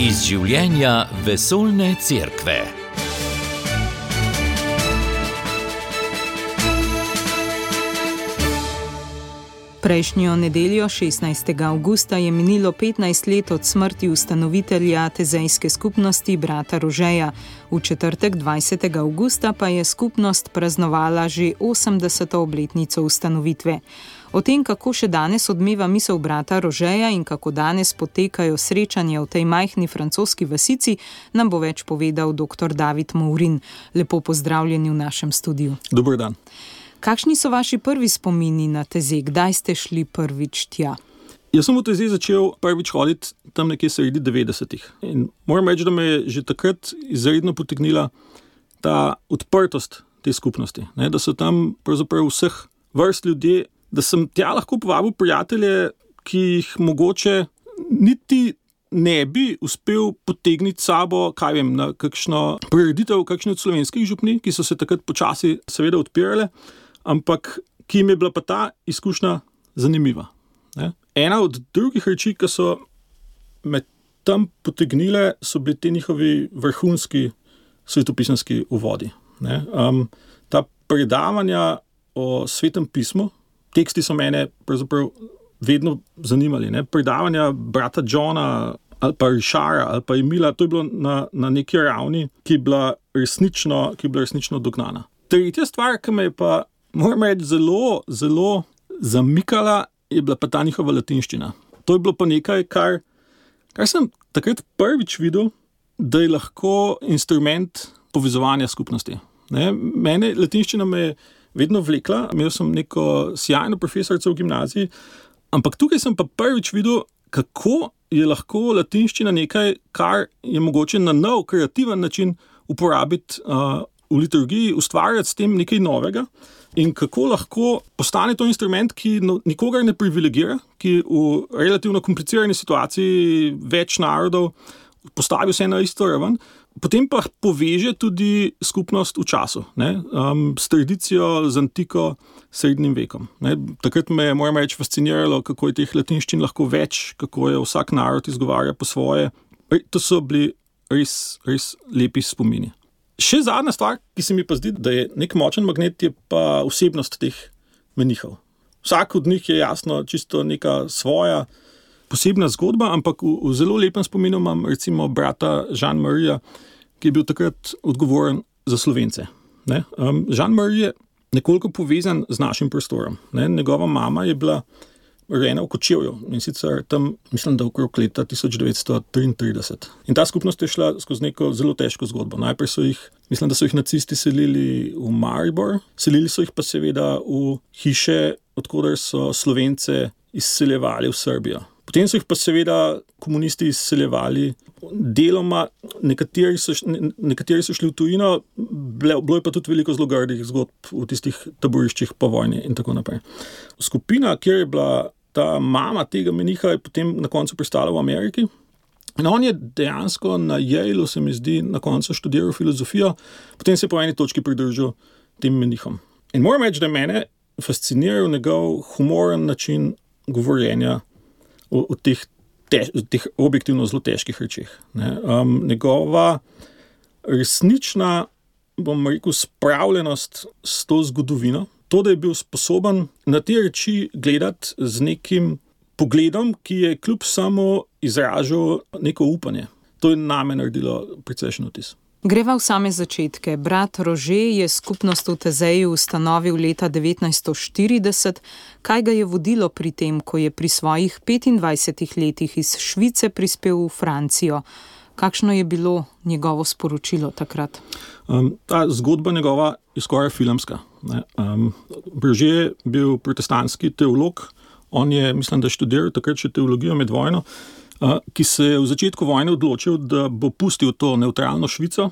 Iz življenja vesoljne cerkve. Prejšnjo nedeljo, 16. avgusta, je minilo 15 let od smrti ustanovitelja tezejske skupnosti brata Rožeja. V četrtek, 20. avgusta, pa je skupnost praznovala že 80. obletnico ustanovitve. O tem, kako še danes odmeva misel brata Rožeja in kako danes potekajo srečanja v tej majhni francoski vasici, nam bo več povedal dr. David Mourin. Lepo pozdravljeni v našem studiu. Dober dan. Kakšni so vaši prvi spomini na Tezej? Kdaj ste šli prvič tja? Jaz sem v Tezej začel prvič hoditi tam nekje sredi 90-ih. In moram reči, da me je že takrat izredno potegnila ta odprtost te skupnosti. Ne? Da so tam pravzaprav vseh vrst ljudje, da sem tja lahko povabil prijatelje, ki jih mogoče niti ne bi uspel potegniti sabo, kaj vem, na kakšno prireditev, kakšne od slovenskih župnij, ki so se takrat počasi seveda odpirale, ampak ki jim je bila pa ta izkušnja zanimiva. Ne? Ena od drugih reči, ki so me tam potegnile, so bili ti njihovi vrhunski svetopisanski uvodi. Ne? Ta predavanja o Svetem pismu, teksti so mene pravzaprav vedno zanimali. Ne? Predavanja brata Johna ali pa Richarda ali pa Emila, to je bilo na neki ravni, ki je bila resnično dognana. Tretja stvar, ki me je pa, moram reči, zelo zamikala, je bila pa ta njihova latinščina. To je bilo pa nekaj, kar sem takrat prvič videl, da je lahko instrument povezovanja skupnosti. Ne? Mene latinščina me je vedno vlekla, imel sem neko sjajno profesorico v gimnaziji, ampak tukaj sem pa prvič videl, kako je lahko latinščina nekaj, kar je mogoče na nov, kreativen način uporabiti v liturgiji, ustvarjati s tem nekaj novega in kako lahko postane to instrument, ki nikogar ne privilegira, ki v relativno komplicirani situaciji več narodov postavi vse na isto raven, potem pa poveže tudi skupnost v času, ne? S tradicijo, z antiko, srednjim vekom. Ne? Takrat me je, moram reči, fasciniralo, kako je teh latinščin lahko več, kako je vsak narod izgovarja po svoje. To so bili res lepi spomini. Še zadnja stvar, ki se mi pa zdi, da je nek močen magnet, je pa osebnost teh menihov. Vsak od njih je jasno čisto neka svoja posebna zgodba, ampak v zelo lepem spominu imam recimo brata Jean-Maria, ki je bil takrat odgovoren za Slovence. Ne? Jean-Marie je nekoliko povezan z našim prostorom. Ne? Njegova mama je bila rojena v Kočevju in sicer tam, mislim, da okrog leta 1933. In ta skupnost je šla skozi neko zelo težko zgodbo. Najprej mislim, da so jih nacisti selili v Maribor, selili so jih pa seveda v hiše, odkoder so Slovence izseljevali v Srbijo. Potem so jih pa seveda komunisti izseljevali deloma, nekateri so šli v tujino, bilo je pa tudi veliko zelo grdih zgodb v tistih taboriščih po vojni in tako naprej. Skupina, kjer je bila ta mama tega meniha, je potem na koncu pristala v Ameriki. In on je dejansko na Yaleu, se mi zdi, na koncu študiral filozofijo, potem se je po eni točki pridružil tem menihom. In moram reči, da je mene fasciniral njegov humoren način govorjenja o teh objektivno zelo težkih rečeh. Njegova resnična, bom rekel, spravljenost s to zgodovino, to, da je bil sposoben na te reči gledati z nekim pogledom, ki je kljub samo izražal neko upanje. To je name naredilo precejšen vtis. Greva v same začetke. Brat Rože je skupnost v Tezeju ustanovil leta 1940. Kaj ga je vodilo pri tem, ko je pri svojih 25 letih iz Švice prispel v Francijo? Kakšno je bilo njegovo sporočilo takrat? Ta zgodba njegova je skoraj filmska. Rože je bil protestantski teolog. On je, mislim, da študiral takrat še teologijo med vojno, ki se je v začetku vojne odločil, da bo pustil to nevtralno Švico.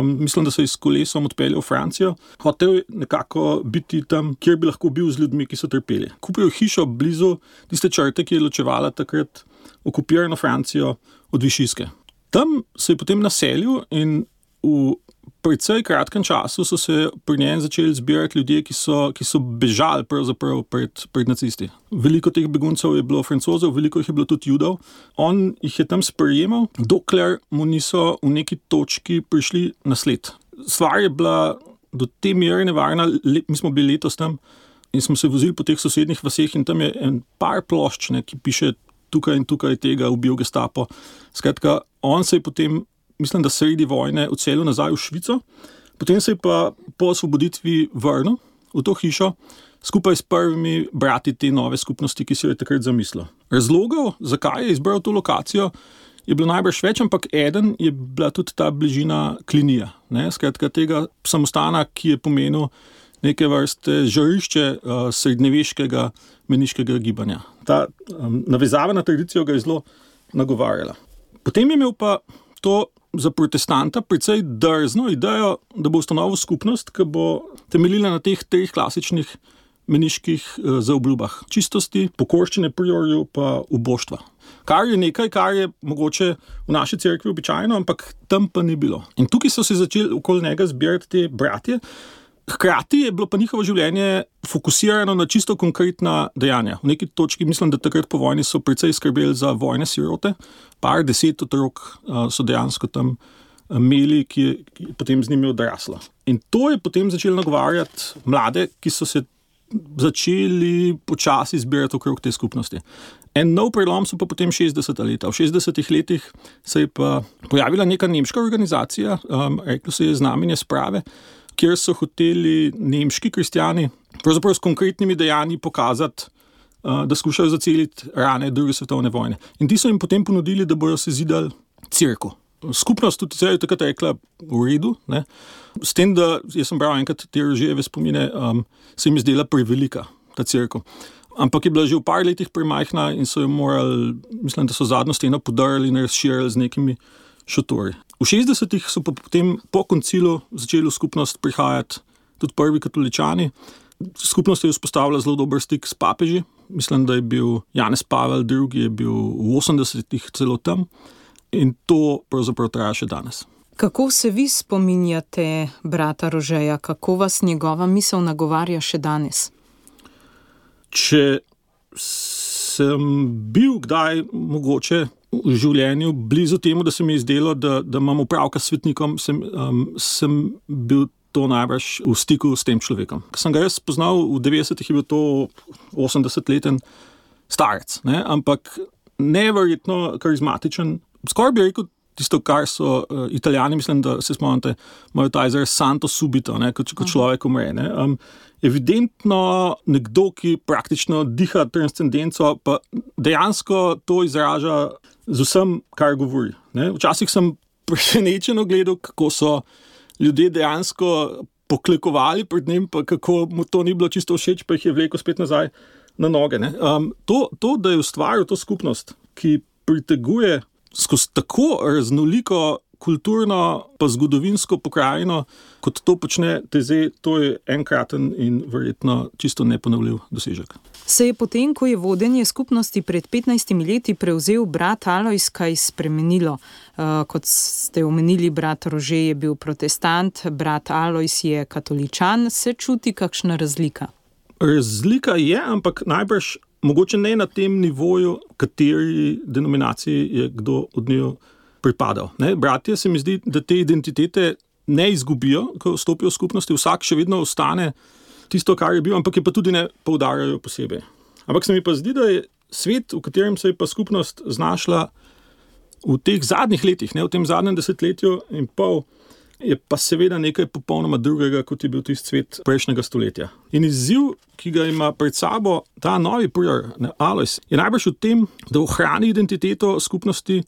Mislim, da se je s kolesom odpeljal v Francijo. Hotel nekako biti tam, kjer bi lahko bil z ljudmi, ki so trpeli. Kupil hišo blizu tiste črte, ki je ločevala takrat okupirano Francijo od Višijske. Tam se je potem naselil in v precej kratkem času so se pri njem začeli zbirati ljudje, ki so bežali pravzaprav pred nacisti. Veliko teh beguncev je bilo Francozov, veliko jih je bilo tudi Judov. On jih je tam sprejemal, dokler mu niso v neki točki prišli na sled. Stvar je bila do te mere nevarna, mi smo bili letos tam in smo se vozili po teh sosednjih vaseh in tam je en par plošč, ki piše tukaj in tukaj tega ubil Gestapo. Skratka, on se je potem, mislim, da sredi vojne odselil nazaj v Švico, potem se je pa po osvoboditvi vrnil v to hišo skupaj s prvimi brati te nove skupnosti, ki si jo je takrat zamislil. Razlogov, zakaj je izbral to lokacijo, je bilo najbrž več, ampak eden je bila tudi ta bližina Klinija. Skratka, tega samostana, ki je pomenil neke vrste žarišče srednjeveškega meniškega gibanja. Ta navezava na tradicijo ga je zelo nagovarjala. Potem je imel pa to za protestanta precej drzno idejo, da bo ustanovil skupnost, ki bo temeljila na teh 3 klasičnih meniških zaobljubah. Čistosti, pokorščine priorju pa uboštva. Kar je nekaj, kar je mogoče v naši cerkvi običajno, ampak tam pa ni bilo. In tukaj so se začeli okoli njega zbirati te bratje. Hkrati je bilo pa njihovo življenje fokusirano na čisto konkretna dejanja. V neki točki mislim, da takrat po vojni so precej skrbeli za vojne sirote. Par 10 otrok so dejansko tam imeli, ki je potem z njimi odraslo. In to je potem začelo nagovarjati mlade, ki so se začeli počasi zbirati okrog te skupnosti. En nov prelom so pa potem 60. leta. V 60. letih se je pa pojavila neka nemška organizacija, reklo se je Znamenje sprave, kjer so hoteli nemški kristjani pravzaprav s konkretnimi dejanji pokazati, da skušajo zaceliti rane druge svetovne vojne. In ti so jim potem ponudili, da bojo sezidali cerkev. Skupnost tudi je takrat rekla v redu, ne? S tem, da jaz sem bral enkrat te Rožejeve spomine, se jim zdela prevelika ta cerkev. Ampak je bila že v par letih premajhna in so jo morali, mislim, da so zadnjo steno podarili in razširili z nekimi šotori. V 60-ih so pa potem po koncilu začeli v skupnost prihajati tudi prvi katoličani. Skupnost je vzpostavila zelo dober stik s papeži. Mislim, da je bil Janez Pavel II. Je bil v 80-ih celo tam in to pravzaprav traja še danes. Kako se vi spominjate brata Rožeja? Kako vas njegova misel nagovarja še danes? Če sem bil kdaj mogoče v življenju blizu temu, da se mi je zdelo, da imam opravka s svetnikom, sem bil to najbrž v stiku s tem človekom. Ko sem ga jaz spoznal v 90-ih, je bil to 80-leten starec, ampak neverjetno karizmatičen. Skoraj bi rekel tisto, kar so Italijani, mislim, da se spomnite, imajo ta izraz santo subito, kot človek umre. Evidentno nekdo, ki praktično diha transcendenco, pa dejansko to izraža z vsem, kar govori. Včasih sem presenečeno gledal, kako so ljudje dejansko poklekovali pred njim, pa kako mu to ni bilo čisto všeč, pa jih je vlekel spet nazaj na noge. To, da je ustvaril to skupnost, ki priteguje skozi tako raznoliko kulturno pa zgodovinsko pokrajino, kot to počne Taizé, to je enkraten in verjetno čisto neponovljiv dosežek. Se je potem, ko je vodenje skupnosti pred 15 leti prevzel brat Alojz, kaj spremenilo? Kot ste omenili, brat Rože je bil protestant, brat Alojz je katoličan. Se čuti kakšna razlika? Razlika je, ampak najbrž mogoče ne na tem nivoju, kateri denominaciji je kdo od njih pripadal. Bratje se mi zdi, da te identitete ne izgubijo, ko vstopijo v skupnosti, vsak še vedno ostane tisto, kar je bil, ampak je pa tudi ne poudarjajo posebej. Ampak se mi pa zdi, da je svet, v katerem se je pa skupnost znašla v teh zadnjih letih, v tem zadnjem desetletju in pol, je pa seveda nekaj popolnoma drugega, kot je bil tisti svet prejšnjega stoletja. In izziv, ki ga ima pred sabo ta novi prior, Alojz, je najbrž v tem, da ohrani identiteto skupnosti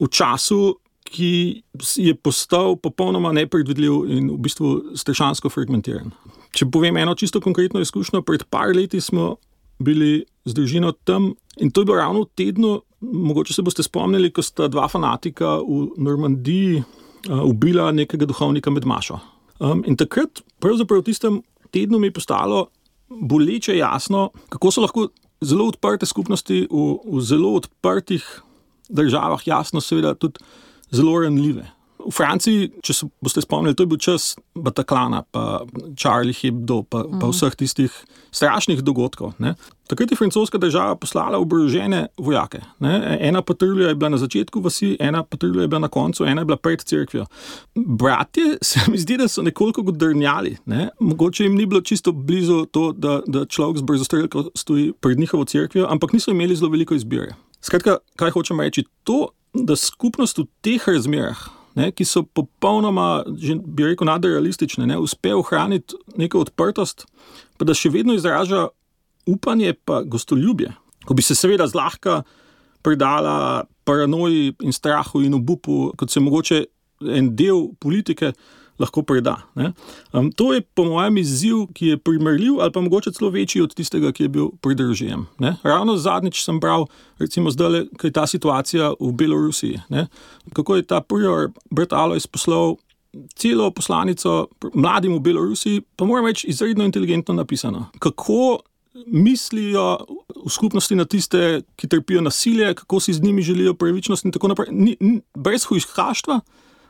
v času, ki je postal popolnoma nepredvidljiv in v bistvu strašansko fragmentiran. Če povem eno čisto konkretno izkušnjo, pred par leti smo bili z družino tam in to je bilo ravno v tednu, mogoče se boste spomnili, ko sta dva fanatika v Normandiji ubila nekega duhovnika med mašo. In takrat, pravzaprav v tistem tednu mi je postalo boleče jasno, kako so lahko zelo odprte skupnosti v zelo odprtih državah, jasno seveda tudi zelo ranljive. V Franciji, če boste spomnili, to je bil čas Bataclana, pa Charlie Hebdo, pa vseh tistih strašnih dogodkov. Ne. Takrat je francoska država poslala oborožene vojake. Ne. Ena patrulja je bila na začetku vasi, ena patrulja je bila na koncu, ena je bila pred cerkvijo. Bratje se mi zdi, da so nekoliko godrnjali. Ne. Mogoče jim ni bilo čisto blizu to, da človek z brzostrelko stoji pred njihovo cerkvijo, ampak niso imeli zelo veliko izbire. Skratka, kaj hočem reči? To, da skupnost v teh razmerah, ne, ki so popolnoma, bi rekel, nadrealistične, ne, uspe ohraniti neko odprtost, pa da še vedno izraža upanje pa gostoljubje. Ko bi se seveda zlahka predala paranoji in strahu in obupu, kot se mogoče en del politike lahko preda. Ne. To je po mojem izziv, ki je primerljiv ali pa mogoče celo večji od tistega, ki je bil pred režijem. Ravno zadnjič sem bral, recimo zdaj, kaj je ta situacija v Belorusiji. Ne. Kako je ta prior brat Alojz poslal celo poslanico mladim v Belorusiji, pa moram reči, izredno inteligentno napisano. Kako mislijo v skupnosti na tiste, ki trpijo nasilje, kako si z njimi želijo pravičnost in tako naprej. Brez hujskaštva,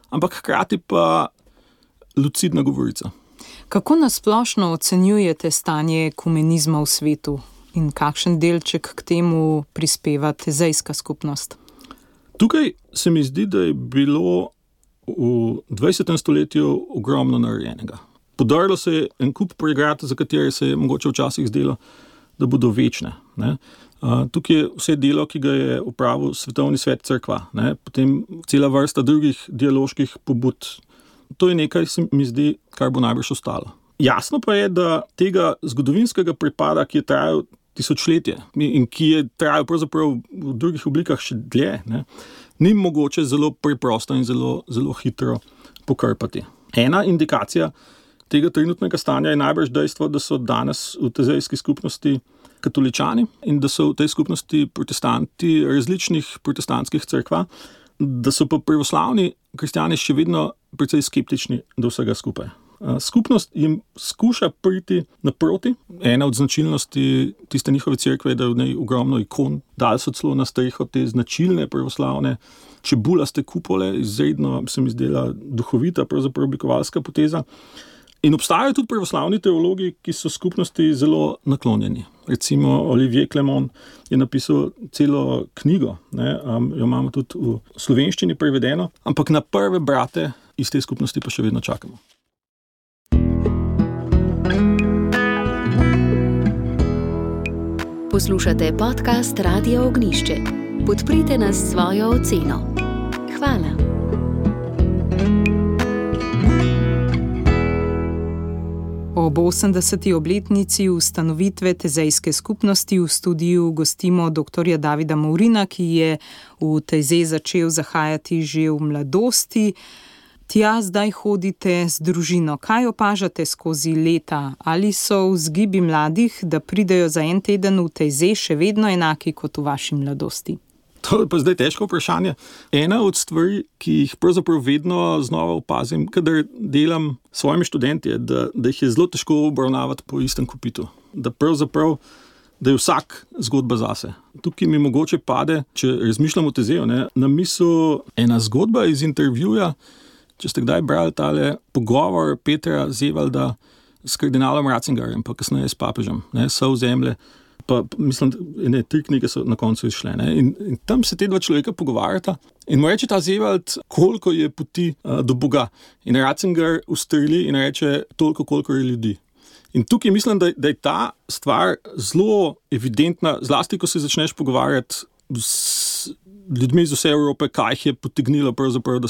ampak hkrati pa lucidna govorica. Kako nasplošno ocenjujete stanje ekumenizma v svetu in kakšen delček k temu prispeva tezejska skupnost? Tukaj se mi zdi, da je bilo v 20. stoletju ogromno narejenega. Podarilo se je en kup pregrad, za katere se je mogoče včasih zdelo, da bodo večne. Ne? Tukaj je vse delo, ki ga je opravil Svetovni svet cerkva, ne? Potem cela vrsta drugih dialoških pobud. To je nekaj, se mi zdi, kar bo najbrž ostalo. Jasno pa je, da tega zgodovinskega prepada, ki je trajal tisočletje in ki je trajal pravzaprav v drugih oblikah še dlje, ne, ni mogoče zelo preprosto in zelo, zelo hitro pokrpati. Ena indikacija tega trenutnega stanja je najbrž dejstvo, da so danes v tezejski skupnosti katoličani in da so v tej skupnosti protestanti različnih protestantskih cerkva, da so pa pravoslavni kristjani še vedno precej skeptični do vsega skupaj. Skupnost jim skuša priti naproti. Ena od značilnosti tiste njihove cerkve je, da je v njej ogromno ikon. Dali so celo na streho te značilne pravoslavne čebulaste kupole, izredno se mi zdela duhovita, pravzaprav oblikovalska poteza. In obstajajo tudi pravoslavni teologi, ki so skupnosti zelo naklonjeni. Recimo Olivier Clement je napisal celo knjigo, ne, jo imamo tudi v slovenščini prevedeno, ampak na prve brate iz te skupnosti pa še vedno čakamo. Poslušate podcast Radio Ognišče. Podprite nas s svojo oceno. Hvala. Ob 80. obletnici ustanovitve tezejske skupnosti v studiu gostimo dr. Davida Mourina, ki je v Tezej začel zahajati že v mladosti. Tja zdaj hodite z družino. Kaj opažate skozi leta? Ali so vzgibi mladih, da pridejo za en teden v Tezej, še vedno enaki kot v vaši mladosti? To je pa zdaj težko vprašanje. Ena od stvari, ki jih pravzaprav vedno znova opazim, kadar delam s svojimi študenti, da jih je zelo težko obravnavati po istem kopitu. Da pravzaprav, da je vsak zgodba zase. Tukaj mi mogoče pade, če razmišljam o Tezeju, na misel ena zgodba iz intervjuja, če ste kdaj brali tale pogovor Petra Zevalda s kardinalom Ratzingerjem, pa kasneje s papežem, Sol zemlje. Pa mislim, da 3 knjige so na koncu izšle. In tam se te dva človeka pogovarjata in mu reče ta Zevald, koliko je poti do Boga. In Ratzinger ustreli in reče toliko, koliko je ljudi. In tukaj mislim, da je ta stvar zelo evidentna, zlasti, ko se začneš pogovarjati s ljudmi iz vse Evrope, kaj jih je potegnilo pravzaprav, da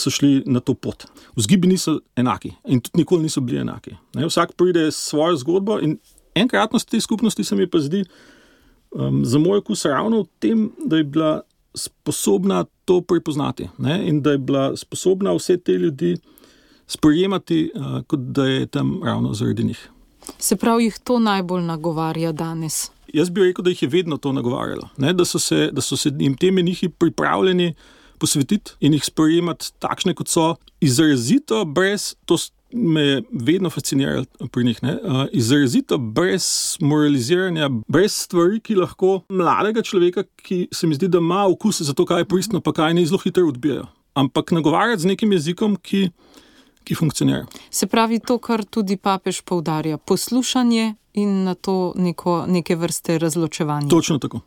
so šli na to pot. Vzgibi niso enaki in tudi nikoli niso bili enaki. Vsak pride s svojo zgodbo in enkratnost te skupnosti se mi pa zdi za moj okus ravno v tem, da je bila sposobna to prepoznati, in da je bila sposobna vse te ljudi sprejemati, kot da je tam ravno zaradi njih. Se pravi, jih to najbolj nagovarja danes? Jaz bi rekel, da jih je vedno to nagovarjalo, da so se jim te menihi pripravljeni posvetiti in jih sprejemati takšne, kot so, izrazito brez, to me je vedno fasciniralo pri njih, izrazito brez moraliziranja, brez stvari, ki lahko mladega človeka, ki se mi zdi, da ima okus za to, kaj je pristno, pa kaj ne, zelo hitro odbijajo. ampak nagovarjati z nekim jezikom, ki funkcionira. Se pravi to, kar tudi papež poudarja, poslušanje in na to neke vrste razločevanje. Točno tako.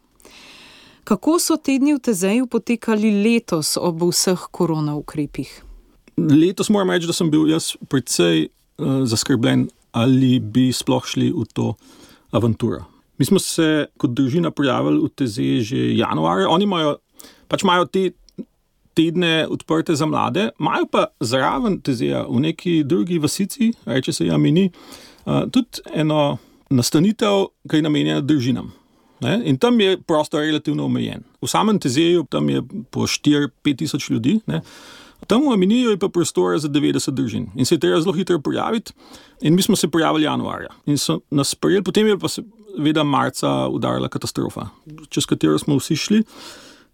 Kako so tedni v Tezeju potekali letos ob vseh korona ukrepih? Letos moram reči, da sem bil jaz precej zaskrbljen, ali bi sploh šli v to avanturo. Mi smo se kot družina prijavili v Tezej že januarja. Oni imajo te tedne odprte za mlade, imajo pa zraven Tezeja v neki drugi vasici, reče se Jamini, tudi eno nastanitev, ki je namenjena družinam. Ne? In tam je prostor relativno omejen. V samem Tezeju tam je po 4-5 tisoč ljudi, ne? Tam v Aminiju je pa prostor za 90 družin. In se je treba zelo hitro prijaviti. In mi smo se prijavili januarja. In so nas prijeli, potem je pa seveda marca udarila katastrofa, čez katero smo vsi šli.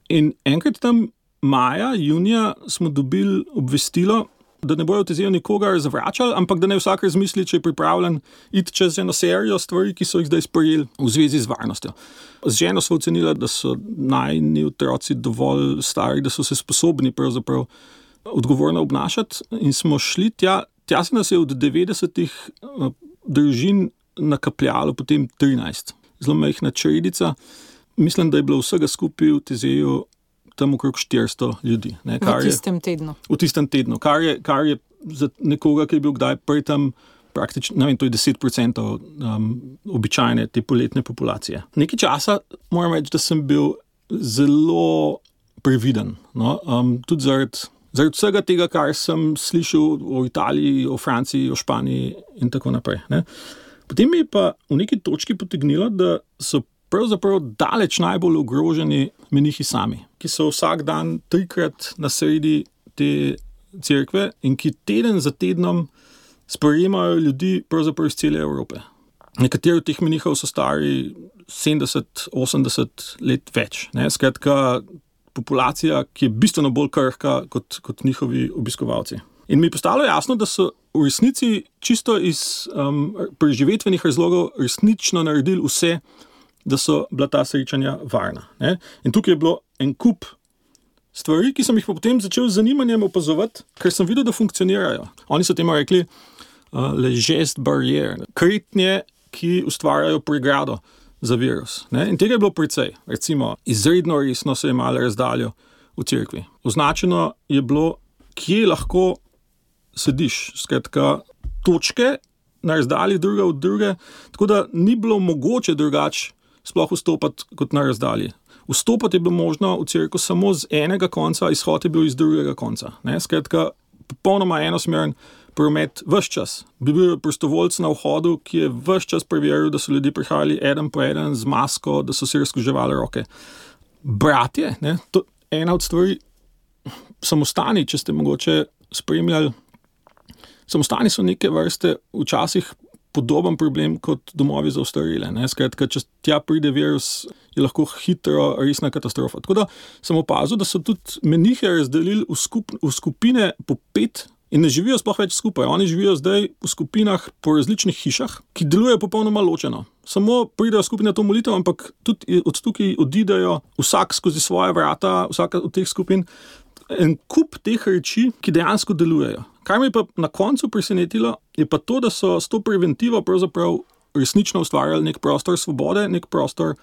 In enkrat tam maja, junija smo dobili obvestilo, da ne bojo v Tezeju nikogar zavračali, ampak da ne vsak razmisli, če je pripravljen iti čez eno serijo stvari, ki so jih zdaj sprejeli v zvezi z varnostjo. Z ženo smo ocenili, da so najni otroci dovolj stari, da so se sposobni pravzaprav odgovorno obnašati in smo šli tja. Tja se nas je od 90 družin nakapljalo potem 13. Zelo majhna čredica. Mislim, da je bilo vsega skupaj v Tezeju tam okrog 400 ljudi. Ne, v tistem tednu. V tistem tednu, kar je za nekoga, ki je bil kdaj prej tam praktično, ne vem, to je 10% običajne te poletne populacije. Nekaj časa moram reči, da sem bil zelo previden. No? Tudi zaradi vsega tega, kar sem slišal o Italiji, o Franciji, o Španiji in tako naprej. Ne? Potem mi je pa v neki točki potegnilo, da so pravzaprav daleč najbolj ogroženi menihi sami, ki so vsak dan 3-krat na sredi te cerkve in ki teden za tednom sprejemajo ljudi pravzaprav iz cele Evrope. Nekateri od teh menihov so stari 70-80 let več. Ne? Skratka, populacija, ki je bistveno bolj krhka kot njihovi obiskovalci. In mi je postalo jasno, da so v resnici čisto iz preživetvenih razlogov resnično naredili vse, da so bila ta srečanja varna. Ne? In tukaj je bilo en kup stvari, ki sem jih potem začel z zanimanjem opazovati, ker sem videl, da funkcionirajo. Oni so temu rekli le geste barrière, kretnje, ki ustvarjajo pregrado za virus. Ne? In tega je bilo precej. Recimo, izredno resno se je malo razdaljo v cerkvi. Označeno je bilo, kje lahko sediš. Skratka, točke na razdalji druga od druge, tako da ni bilo mogoče drugače sploh vstopati kot na razdalji. Vstopati je bilo možno v cerkev samo z enega konca, izhod je bil iz drugega konca. Ne? Skratka, popolnoma enosmeren promet ves čas. Bi bil prostovoljc na vhodu, ki je ves čas preveril, da so ljudje prihajali eden po eden z masko, da so si razkuževali roke. Bratje, ne? To je ena od stvari, samostani, če ste mogoče spremljali, samostani so neke vrste včasih podoben problem kot domovi za ostarele. Skratka, če tja pride virus, je lahko hitro resna katastrofa. Tako da sem opazil, da so tudi menihe razdelili v skupine po 5 in ne živijo sploh več skupaj. Oni živijo zdaj v skupinah po različnih hišah, ki delujejo popolnoma ločeno. Samo pridejo skupaj na to molitev, ampak tudi od tukaj odidejo vsak skozi svoje vrata, vsaka od teh skupin. En kup teh reči, ki dejansko delujejo. Kar me je pa na koncu presenetilo, je pa to, da so s to preventivo pravzaprav resnično ustvarjali nek prostor svobode, nek prostor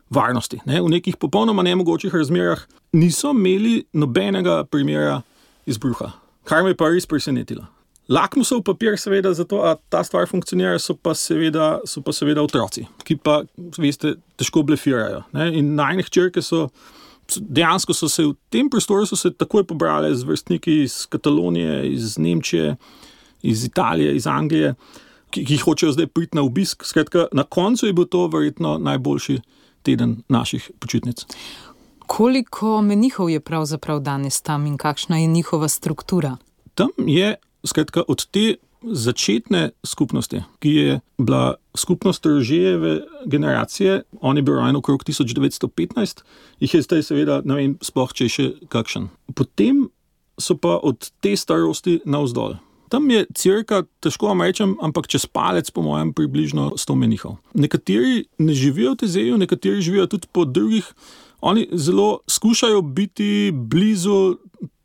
varnosti. Ne? V nekih popolnoma nemogočih razmerah niso imeli nobenega primera izbruha. Kar me je pa res presenetilo. Lakmusov papir seveda za to, a ta stvar funkcionira, so pa seveda otroci, ki pa, veste, težko blefirajo. Ne? In najne hčerke dejansko so se v tem prostoru takoj pobrali z vrstniki iz Katalonije, iz Nemčije, iz Italije, iz Anglije, ki hočejo zdaj priti na obisk. Skratka, na koncu je bil to verjetno najboljši teden naših počitnic. Koliko menihov je pravzaprav danes tam in kakšna je njihova struktura? Tam je, skratka, od te začetne skupnosti, ki je bila skupnost Rožejeve generacije, on je bil rojen okrog 1915, jih je zdaj seveda, ne vem, sploh če je še kakšen. Potem so pa od te starosti navzdol. Tam je cirka, težko vam rečem, ampak čez palec po mojem približno 100 menihov. Nekateri ne živijo v Tezeju, nekateri živijo tudi po drugih. Oni zelo skušajo biti blizu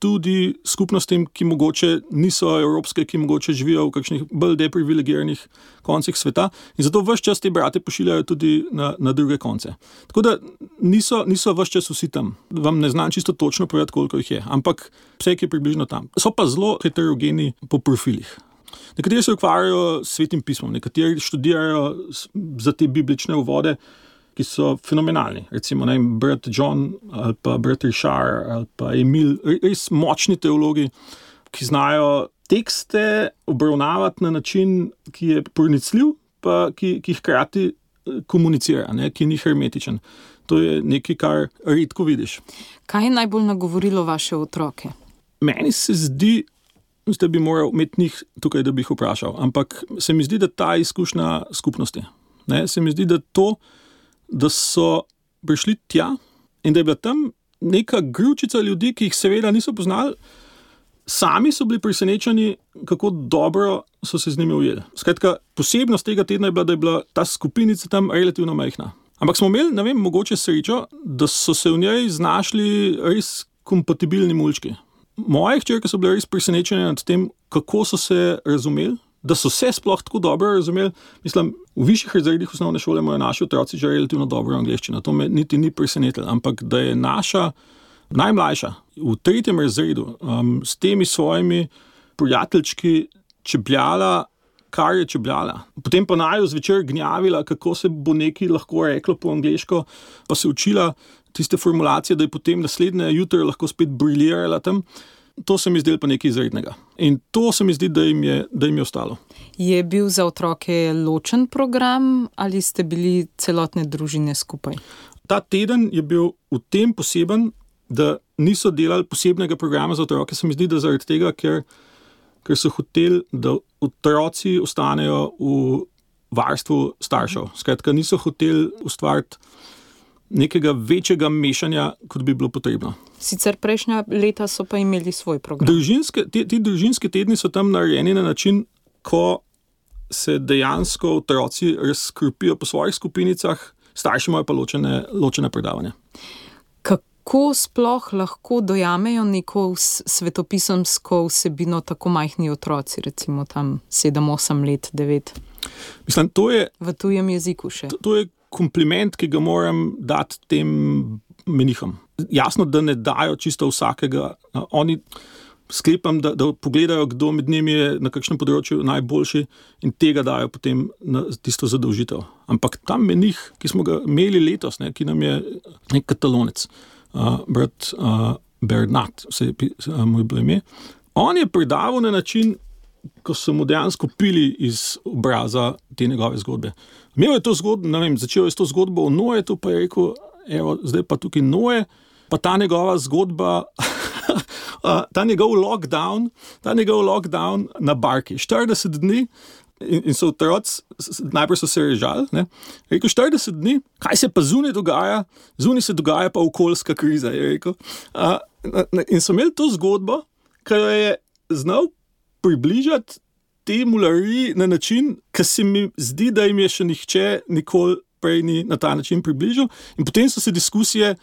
tudi skupnostim, ki mogoče niso evropske, ki mogoče živijo v kakšnih bolj deprivilegiranih koncih sveta in zato ves čas te brate pošiljajo tudi na druge konce. Tako da niso ves čas vsi tam. Vam ne znam čisto točno povedati, koliko jih je, ampak vse je približno tam. So pa zelo heterogeni po profilih. Nekateri se ukvarjajo s Svetim pismom, nekateri študirajo za te biblične uvode, ki so fenomenalni. Recimo brat John ali pa brat Richard ali pa Emil, res močni teologi, ki znajo tekste obravnavati na način, ki je pronicljiv, pa ki hkrati komunicira, ki ni hermetičen. To je nekaj, kar redko vidiš. Kaj je najbolj nagovorilo vaše otroke? Meni se zdi, da bi moral imeti njih tukaj, da bi jih vprašal, ampak se mi zdi, da ta izkušnja skupnosti. Se mi zdi, da to, da so prišli tja in da je bila tam neka gručica ljudi, ki jih seveda niso poznali, sami so bili presenečeni, kako dobro so se z njimi ujeli. Skratka, posebnost tega tedna je bila, da je bila ta skupinica tam relativno majhna. Ampak smo imeli, mogoče srečo, da so se v njej znašli res kompatibilni mulčki. Moje hčerke so bile res presenečene nad tem, kako so se razumeli, da so se sploh tako dobro razumeli. Mislim, v višjih razredih osnovne šole imajo naši otroci že relativno dobro angleščino. To me niti ni presenetilo, ampak da je naša najmlajša v 3. razredu s temi svojimi prijateljčki čebljala, kar je čebljala. Potem pa naju zvečer gnjavila, kako se bo nekaj lahko reklo po angleško, pa se učila tiste formulacije, da je potem naslednje jutro lahko spet briljirala tam. To se mi zdelo pa nekaj izrednega. In to se mi zdi, da jim je ostalo. Je bil za otroke ločen program ali ste bili celotne družine skupaj? Ta teden je bil v tem poseben, da niso delali posebnega programa za otroke. Se mi zdi, da zaradi tega, ker so hoteli, da otroci ostanejo v varstvu staršev. Skratka, niso hoteli ustvariti nekega večjega mešanja, kot bi bilo potrebno. Sicer prejšnja leta so pa imeli svoj program. Ti družinski tedni so tam narejeni na način, ko se dejansko otroci razkropijo po svojih skupinicah, starši imajo pa ločene predavanja. Kako sploh lahko dojamejo neko svetopisemsko vsebino tako majhni otroci, recimo tam 7, 8 let, 9? Mislim, to je v tujem jeziku še. To je kompliment, ki ga moram dati tem menihom. Jasno, da ne dajo čisto vsakega. Oni sklepam, da pogledajo, kdo med njimi je na kakšnem področju najboljši in tega dajo potem na tisto zadolžitev. Ampak ta menih, ki smo ga imeli letos, ki nam je nek Katalonec, brat Bernat, moj bilo ime, on je predaval na način, ko so mu dejansko pili iz obraza te njegove zgodbe. Imel je to zgodbo, začel je s to zgodbo o Noetu, pa je rekel, evo, zdaj pa tukaj Noe, pa ta njegova zgodba, ta njegov lockdown na barki, 40 dni, in so otroci, najprej so se režali, rekel, 40 dni, kaj se pa zunaj dogaja? Zunaj se dogaja pa okoljska kriza, je rekel. In so imeli to zgodbo, ki jo je znal približati te mulariji na način, ki se mi zdi, da jim je še nihče nikoli prej ni na ta način približal. In potem so se diskusije,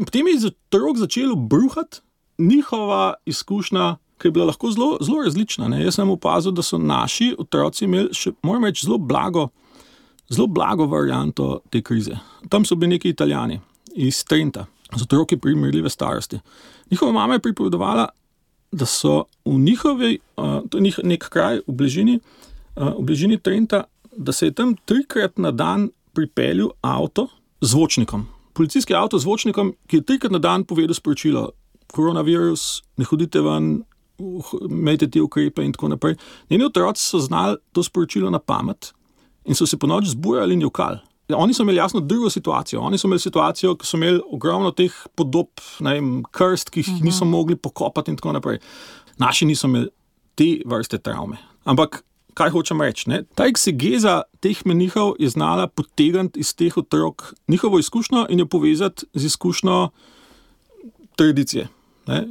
potem je otrok začelo bruhati njihova izkušnja, ki je bila lahko zelo različna. Jaz sem opazil, da so naši otroci imeli še, moram reči, zelo blago varianto te krize. Tam so bili neki Italijani iz Trenta, z otroki primerljive starosti. Njihova mama je pripovedovala, da so v njihovi, to je nek kraj v bližini Trenta, da se je tam 3-krat na dan pripeljal avto z zvočnikom. Policijski avto z zvočnikom, ki je 3-krat na dan povedal sporočilo: koronavirus, ne hodite ven, imejte te ukrepe in tako naprej. Njeni otroci so znali to sporočilo na pamet in so se po noč zbujali in jokali. Oni so imeli jasno drugo situacijo. Oni so imeli situacijo, ki so imeli ogromno teh podob, krst, ki jih niso mogli pokopati in tako naprej. Naši niso imeli te vrste travme. Ampak, kaj hočem reči? Ta eksegeza teh menihov je znala potegniti iz teh otrok njihovo izkušnjo in jo povezati z izkušnjo tradicije.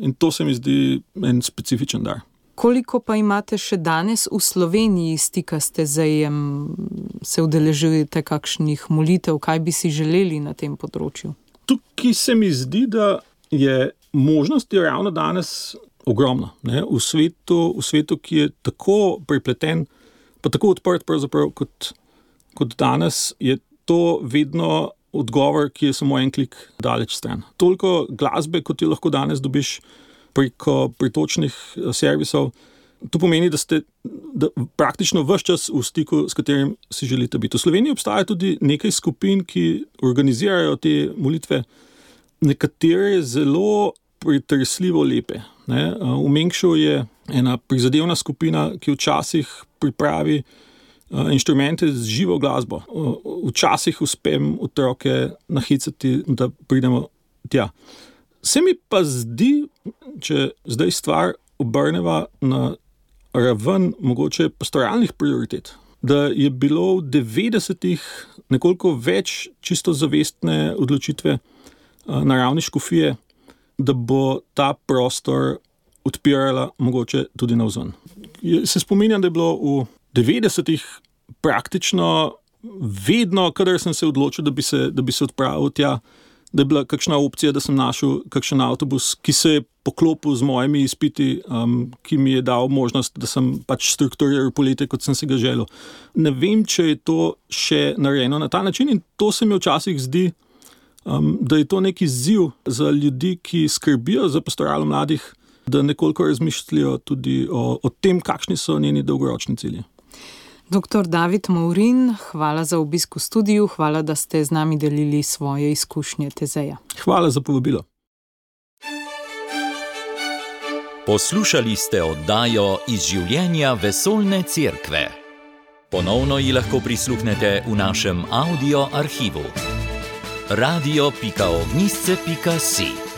In to se mi zdi en specifičen dar. Koliko pa imate še danes v Sloveniji stika s Tezejem? Se udeležujete kakšnih molitev? Kaj bi si želeli na tem področju? Tukaj se mi zdi, da je možnost je ravno danes ogromna. Ne? V svetu, ki je tako prepleten, pa tako odprt pravzaprav kot danes, je to vedno odgovor, ki je samo en klik daleč stran. Toliko glasbe, kot jo lahko danes dobiš preko pritočnih servisov, to pomeni, da praktično ves čas v stiku, s katerim si želite biti. V Sloveniji obstaja tudi nekaj skupin, ki organizirajo te molitve, nekatere zelo pretresljivo lepe. Ne? V Mengšu je ena prizadevna skupina, ki včasih pripravi inštrumente z živo glasbo. Včasih uspem otroke nahicati, da pridemo tja. Se mi pa zdi, če zdaj stvar obrneva na raven mogoče pastoralnih prioritet, da je bilo v 90-ih nekoliko več čisto zavestne odločitve na ravni škofije, da bo ta prostor odpirala mogoče tudi navzven. Se spominjam, da je bilo v 90-ih praktično vedno, kadar sem se odločil, da bi se odpravil tja, da je bila kakšna opcija, da sem našel kakšen avtobus, ki se je poklopil z mojimi izpiti, ki mi je dal možnost, da sem pač strukturiral poletje, kot sem si ga želel. Ne vem, če je to še narejeno na ta način in to se mi včasih zdi, da je to neki izziv za ljudi, ki skrbijo za pastoralo mladih, da nekoliko razmišljajo tudi o tem, kakšni so njeni dolgoročni cilji. Dr. David Maurin, hvala za obisk v studiu, hvala, da ste z nami delili svoje izkušnje Tezeja. Hvala za povabilo. Poslušali ste oddajo Iz življenja vesoljne cerkve. Ponovno ji lahko prisluhnete v našem audio arhivu. radio.ognisce.si